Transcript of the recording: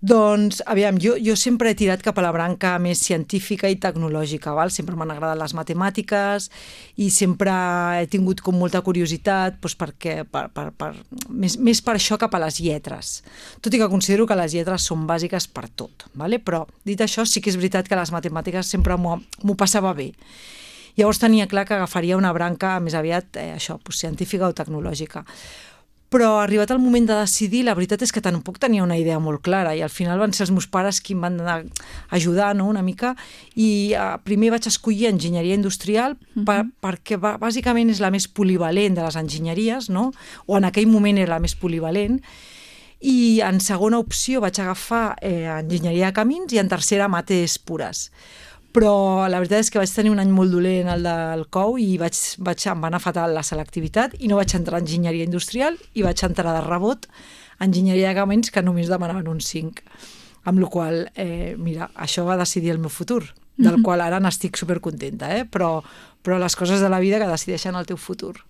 Doncs, aviam, jo sempre he tirat cap a la branca més científica i tecnològica, val? Sempre m'han agradat les matemàtiques i sempre he tingut com molta curiositat doncs més per això cap a les lletres. Tot i que considero que les lletres són bàsiques per tot, vale? Però dit això sí que és veritat que les matemàtiques sempre m'ho passava bé. Llavors tenia clar que agafaria una branca més aviat científica o tecnològica. Però arribat el moment de decidir, la veritat és que tampoc tenia una idea molt clara i al final van ser els meus pares qui em van anar ajudar, no?, una mica, i primer vaig escollir enginyeria industrial perquè bàsicament és la més polivalent de les enginyeries, no?, o en aquell moment era la més polivalent, i en segona opció vaig agafar enginyeria de camins i en tercera mates pures. Però la veritat és que vaig tenir un any molt dolent el del COU i em va anar fatal la selectivitat i no vaig entrar a enginyeria industrial i vaig entrar de rebot a enginyeria de camins que només demanaven un 5. Amb la qual cosa, mira, això va decidir el meu futur, del qual ara n'estic supercontenta, però les coses de la vida que decideixen el teu futur.